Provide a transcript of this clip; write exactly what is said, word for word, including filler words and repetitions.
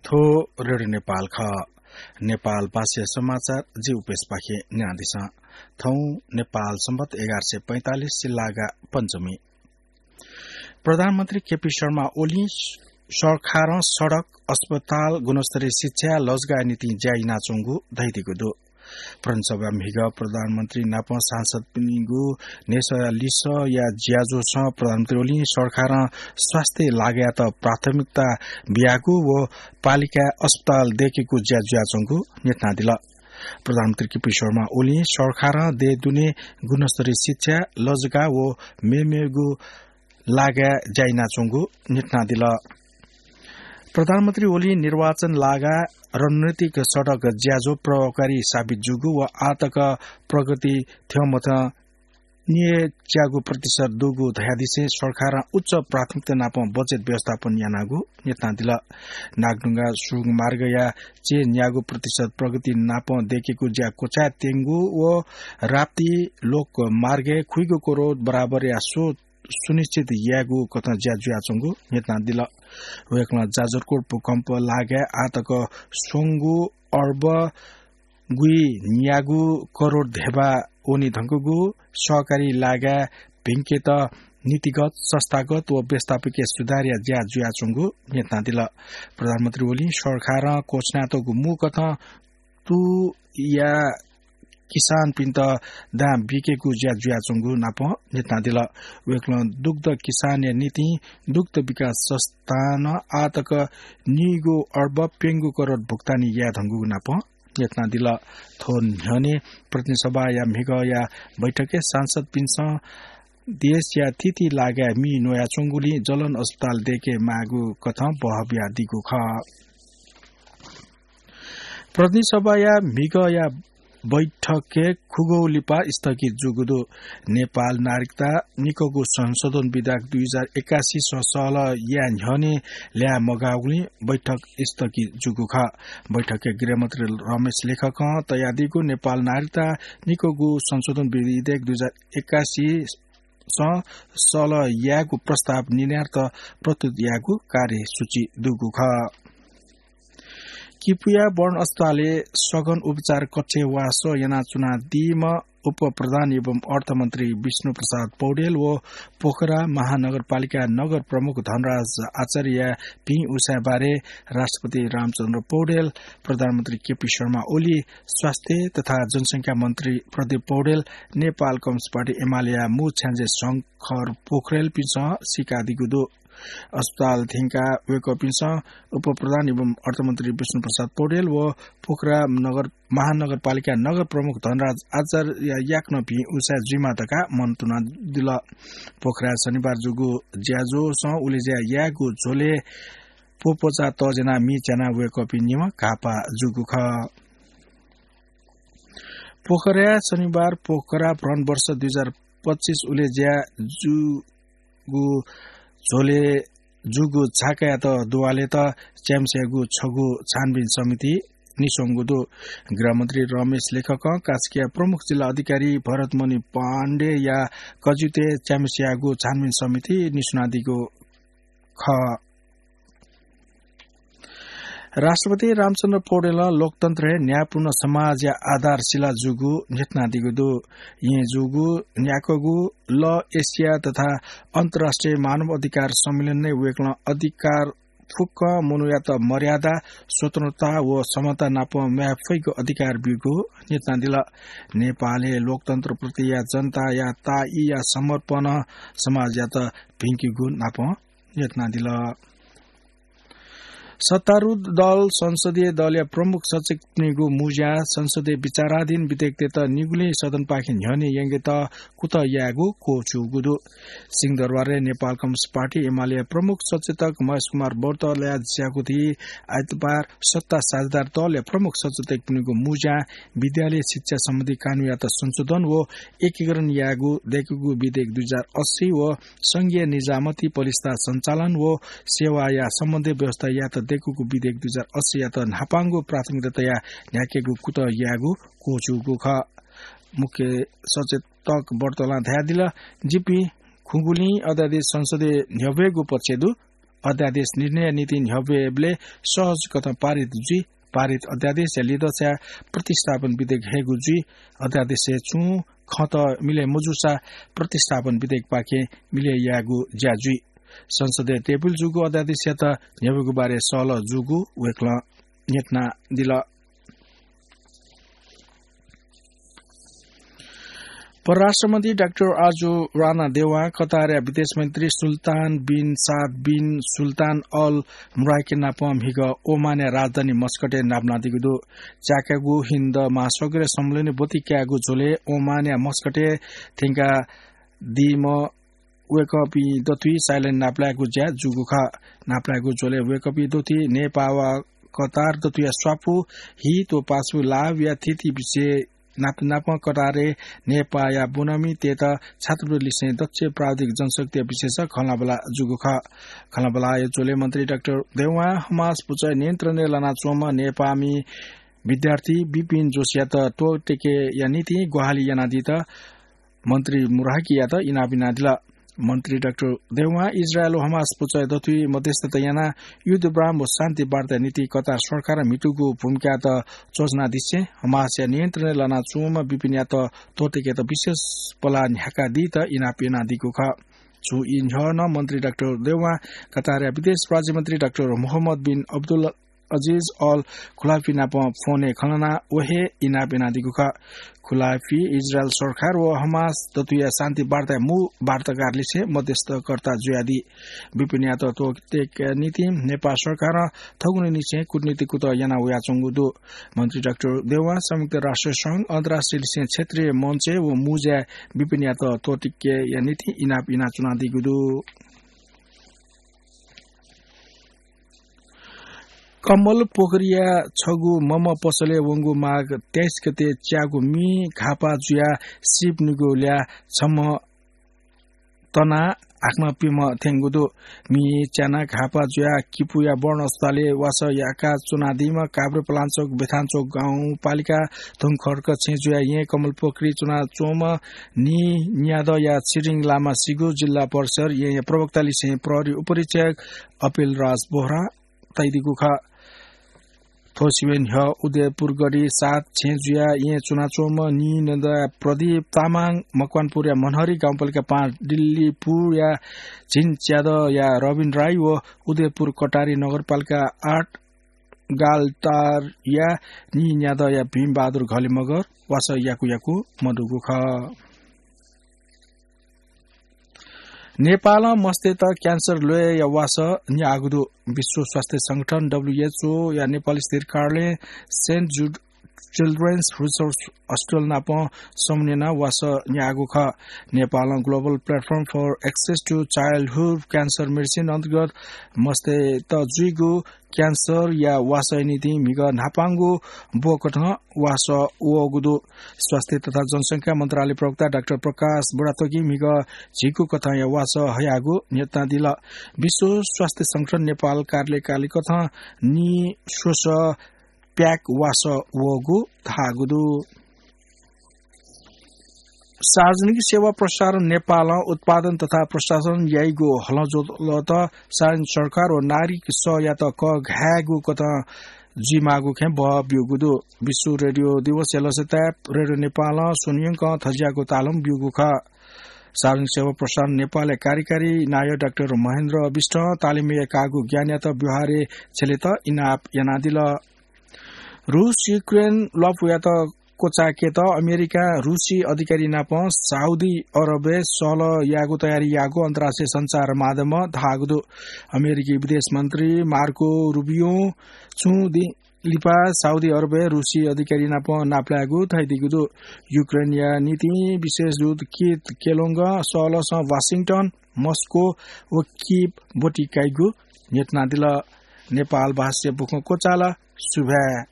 थ्व रेडियो नेपाल खः। नेपाल भाषा समाचार जि उपेशपाखें न्यनादिसँ। थौं नेपाल सम्बत एघार सय पैंतालिस सिल्लागा पञ्चमी। प्रधानमन्त्री केपी शर्मा ओलीं सरकारं सडक, अस्पताल, गुणस्तरीय शिक्षा, लजगाः निंतिं ज्या यानाच्वंगु धयादीगु दु। प्रदेशसभा म्हिगः प्रधानमन्त्री नाप सांसदपिनिगु न्ह्यसःया लिसःया ज्याझ्वलय् प्रधानमन्त्री ओलीं सरकारं स्वास्थ्य लागाय्‌यात प्राथमिकता बियागु व पालिकाय् अस्पताल दयेकेगु ज्या जुयाच्वंगु न्ह्यथनादिल। प्रधानमन्त्री केपी शर्मा ओलीं सरकारं देय् दुने गुणस्तरीय शिक्षा, लजगाः व मेमेगु लागाय् ज्या यानाच्वंगु न्ह्यथनादिल। प्रधानमन्त्री ओलीं निर्वाचन लागाय् रणनीतिक सडक ज्याझ्वः प्रभावकारी साबित जूगु व आः तक प्रगति थ्यंमथ्यं निन्यागू प्रतिशत दुगु धयादिसें सरकारं उच्च प्राथमिकता नाप बजेट व्यवस्थापन यानागु न्ह्यथनादिल। नागढुङ्गा सुरुङ मार्गया चय् न्यागू प्रतिशत प्रगति नाप दयेकेगु ज्या क्वचाय् त्यंगु व राप्ती लोकमार्गय् खुइगू करोड बराबरया स्व सुनिश्चित यायेगु कथं ज्या जुयाच्वंगु न्ह्यथनादिल। वय्‌कलं जाजरकोट भूकम्प लागाय् आः तक स्वंगू अर्ब गुइन्यागू करोड धेबा वने धुंकूगु सहकारी लागाय् भिंकेत नीतिगत, संस्थागत व व्यवस्थापकीय सुधारया ज्या जुयाच्वंगु न्ह्यथनादिल। प्रधानमन्त्री ओलीं सरकारं घोषणा यातःगु मू कथं तुया किसानपिन्त दां बिकेगु ज्या जुयाच्वंगु नाप न्ह्यथनादिल। वय्‌कलं दुग्ध किसानया निंतिं दुग्ध विकास संस्थानं आः तक नीगू अर्ब प्यंगू करोड भुक्तानी याये धुंकूगु नाप न्ह्यथनादिल। थ्व न्ह्यःने प्रतिनिधि सभाया म्हिगःया बैठकय् सांसदपिन्सं देशया थीथी लागाय् मि न्वयाच्वंगुलिं जलन अस्पताल दयेके माःगु कथं बहः बियादीगु खः। प्रतिनिधि सभाया म्हिगःया बैठकय् खुगू लिपा स्थगित जूगु दु। नेपाल नागरिकता निक्वःगु संशोधन विधेयक दुई हजार एकासी सह सहलह याये न्ह्यःने ल्याः मगाःगुलिं बैठक स्थगित जूगु खः। बैठकय् गृहमन्त्री रमेश लेखकं तयादीगु नेपाल नागरिकता निक्वःगु संशोधन विधेयक दुई हजार एकासी सह सहलह यायेगु प्रस्ताव निर्णयार्थ प्रस्तुत यायेगु कार्यसूची दुगु खः। किपुया वर्ण अस्पतालय् सघन उपचार कक्षय् वासः यानाच्वनादीम्ह उपप्रधान एवं अर्थमन्त्री विष्णु प्रसाद पौडेल व पोखरा महानगरपालिका नगर प्रमुख धनराज आचार्यया भिं उसाँय् बारे राष्ट्रपति रामचन्द्र पौडेल, प्रधानमन्त्री केपी शर्मा ओली, स्वास्थ्य तथा जनसंख्या मन्त्री प्रदीप पौडेल, नेपाल कम्युनिस्ट पार्टी एमालेया मू छ्याञ्जे शंकर पोखरेलपिन्सं सीकादीगु दु। अस्पताल थ्यंकाः वय्‌कःपिन्सं उपप्रधान एवं अर्थमन्त्री विष्णु प्रसाद पौडेल व पोखरा नगर, महानगरपालिका नगर प्रमुख धनराज आचार्यया याकनं भिं उसाँय् जुइमा धकाः मन्तुनादिल। पोखराय् शनिबार जूगु ज्याझ्वलय् उलेज्या यायेगु झ्वलय् प्वप्वचा तज्यानाः मि च्यानाः वय्‌कःपिं निम्ह घाःपाः जूगु खः। पोखराय् शनिबार पोखरा भ्रमण वर्ष दुई हजार पच्चिस उलेज्या जूगु झ्वलय् जूगु झाकायात दुवालेत च्याम्हस्याःगु छगू छानबिन समिति निस्वंगु दु। गृहमन्त्री रमेश लेखकं कास्कीया प्रमुख जिल्ला अधिकारी भरतमणि पाण्डेया कज्यूतय् च्याम्हस्याःगु छानबिन समिति निस्वनादीगु खः। राष्ट्रपति रामचन्द्र पौडेलं लोकतन्त्रय् न्यायपूर्ण समाजया आधारशिला जूगु न्ह्यथनादीगु दु। येँ जूगु न्याक्वःगु लः एसिया तथा अन्तर्राष्ट्रिय मानव अधिकार सम्मेलनय् वय्‌कलं अधिकार फुक्क मनूयात मर्यादा, स्वतन्त्रता व समानता नाप म्वाये फइगु अधिकार ब्यूगु न्ह्यथनादिल। नेपालय् लोकतन्त्रप्रतिया जनताया ताःईया समर्पणं समाजयात भिंकीगु नाप न्ह्यथनादिल। सत्तारूढ दल संसदीय दलया प्रमुख सचेतकपिनिगु मुँज्यां संसदय् विचाराधीन विधेयकतय्‌त निगुलिं सदनपाखें न्ह्यःने यंकेत कुतः यायेगु क्वःछिउगु दु। सिंहदरबारय् नेपाल कम्युनिस्ट पार्टी एमालेया प्रमुख सचेतक महेश कुमार बर्तलया ज्याकुथि आइतबार सत्ता साझेदार दलया प्रमुख सचेतकपिनिगु मुँज्यां विद्यालय शिक्षा सम्बन्धी कानूनयात संशोधन व एकीकरण यायेगु दयेकूगु विधेयक दुई हजार अस्सी व संघीय निजामती, पलिस्था सञ्चालन व सेवाया सम्बन्धी व्यवस्थायात दयेकूगु विधेयक दुई हजार अस्सीयात न्हापांगु प्राथमिकता तयाः न्ह्याकेगु कुतः यायेगु क्वःछिउगु खः। मुख्य सचेतक बर्तलं धयादिल, जिपिं खुगुलिं अध्यादेश संसदय् न्ह्यब्वयेगु पक्षय् दु। अध्यादेश निर्णय निंतिं न्ह्यब्वयेबलय् सहज कथं पारित जुइ। पारित अध्यादेशया लिदछाय् प्रतिस्थापन विधेयक हयेगु जुइ। अध्यादेशय् छुं खँत मिले मजूसा प्रतिस्थापन विधेयकपाखें मिले यायेगु ज्या जुइ। संसदय् टेबुल जूगु अध्यादेशयात न्ह्यब्वयेगु बारे सहलह जूगु वय्कलं न्ह्यथनादिल। परराष्ट्र मन्त्री डाक्टर आजु राना देवां कतारया विदेश मन्त्री सुल्तान बिन साद बिन सुल्तान अल मुराइके नाप म्हिगः ओमानया राजधानी मस्कटय् नापलानादीगु दु। च्याकागु हिन्द महासागरय् सम्मेलनय् ब्वति कायेगु झ्वलय् ओमानया मस्कटय् थ्यंकादीम्ह वय्कःपिं दथुइ साइलैन नापलायेगु ज्या जूगु खः। नापलायेगु झ्वलय् वय्कःपिं दथुइ नेपाः वा कतार दथुया स्वापू हित व पासापिं लाभया थीथी विषय नाप नापं कतारय् नेपाःया ब्वनामितय्त छात्रवृत्तिलिसें दक्ष प्राविधिक जनशक्तिया विषयस खँल्हाबल्हा जूगु खः। खँल्हाबल्हाया झ्वलय् मन्त्री डाक्टर देवां हमास पुचः नियन्त्रणय् लानाच्वंम्ह नेपाःमि विद्यार्थी विपिन जोशीयात त्वःतेकेया निंतिं ग्वाहालि यानादीत मन्त्री मुराइकेयात इनाप यानादिल। मन्त्री डाक्टर देवां इजरायल व हमास पुचः दथुइ मध्यस्थता यानाः युद्धविराम व शान्ति वार्ताया निंतिं कतार सरकारं म्हितूगु भूमिकायात च्वछानादिसें हमासया नियन्त्रणय् लानाच्वंम्ह विपिनयात त्वःतेकेत विशेष पलाः न्ह्याकादीत इनाप यानादीगु खः। छुं ई न्ह्यः नं मन्त्री डाक्टर देवां कतारया विदेश राज्यमन्त्री डाक्टर मोहम्मद बिन अब्दुल अजिज अल खुलाफी नाप फोनय् खँ ल्हानाः व हे इनाप यानादीगु खः। खुलाफी इजरायल सरकार व हमास दथुया शान्ति वार्ताया मू वार्ताकारलिसें मध्यस्थकर्ता जुयादी। विपिनयात त्वःतेकेया निंतिं नेपाल सरकारं थगुनिनिसें कूटनीतिक कुतः याना वयाच्वंगु दु। मन्त्री डाक्टर देवां संयुक्त राष्ट्र संघ, अन्तर्राष्ट्रियलिसें क्षेत्रीय मञ्चय् व मुँज्याय् विपिनयात त्वःतेकेया निंतिं इनाप यानाच्वनादीगु दु। कमल पोखरीया छगू मम पसलय् वंगु माघ तेइस गते च्यागू मि घाःपाः जुयाः सीप निगू ल्याः छम्ह तनाः हाकनं प्यम्ह थ्यंगु दु। मि च्यानाः घाःपाः जुयाः किपूया वर्ण अस्पतालय् वासः याकाच्वनादीम्ह काभ्रेपलाञ्चोक बेथानचोक गाउँपालिका धुंखर्क छेँ जुयाः येँ कमलपोखरी च्वनाच्वंम्ह नीन्यादँया छिरिङ लामा सिगु जिल्ला परिषद येँया प्रवक्तालिसें प्रहरी उपरीक्षक अपिल राज बोहरां तयादीगु खः। थ्व सिबें न्ह्यः उदयपुर गढी सात छेँ जुयाः येँ च्वनाच्वंम्ह नीन्यादँया प्रदीप तामाङ, मकवानपुरया मनहरी गाउँपालिका पाँच डिल्लीपुरया झिंच्यादँया रबिन राई व उदयपुर कटारी नगरपालिका आठ गालटारया नीन्यादँया भीमबहादुर घले मगर वासः याकु याकु मदुगु खः। नेपालं मस्तय्त क्यान्सर ल्वय्‌या वासः न्याःगु दु। विश्व स्वास्थ्य संगठन, डब्ल्युएचओ, या नेपाल स्थिर कार्यालयं सेन्ट जुड चिल्ड्रेन्स रिसर्च हस्पिटल नाप समन्वय यानाः वासः न्याःगु खः। नेपालं Global Platform for Access to Childhood Cancer Medicine अन्तर्गत मस्तय्त जुइगु क्यान्सरया वासःया निंतिं म्हिगः न्हापांगु ब्वकथं वासः वःगु दु। स्वास्थ्य तथा जनसंख्या मन्त्रालय प्रवक्ता डाक्टर प्रकाश बुढाथोकीं म्हिगः झिकू कथंया वासः हयागु न्ह्यथनादिल। विश्व स्वास्थ्य संगठन नेपाल कार्यालयं कालिकथं नीस्वसः प्याक वासः वःगु धाःगु दु। सार्वजनिक सेवा प्रसारण नेपालं उत्पादन तथा प्रशासन याइगु हलंज्वलत सार्वजनिक सरकार व नागरिक सहयात कःघायेगु कथं जुइमाःगु खँय् बः ब्यूगु दु। विश्व रेडियो दिवसया लसताय् रेडियो नेपालं स्वन्हु यंकं थज्याःगु तालुं ब्यूगु खः। सार्वजनिक सेवा प्रसारण नेपालया कार्यकारी नायः डाक्टर महेन्द्र विष्टं तालिमय् काःगु ज्ञानयात व्यवहारय् छ्यलेत इनाप यानादिल। रूस युक्रेन ल्वापुयात क्वचायेकेत अमेरिकां रूसी अधिकारी नाप साउदी अरबय् सहलह यायेगु तयारी याःगु अन्तर्राष्ट्रिय सञ्चार माध्यमं धाःगु दु। अमेरिकी विदेश मन्त्री मार्को रुबियों छुं दिं लिपा साउदी अरबय् रूसी अधिकारी नाप नापलायेगु धयादीगु दु। युक्रेनया निंतिं विशेष दूत कीथ केलोङ्गं सहलहसं वाशिंटन, मस्को व कीव ब्वति काइगु न्ह्यथनादिल। नेपाल भाषाया बुखँ क्वचाल। सुभाय्।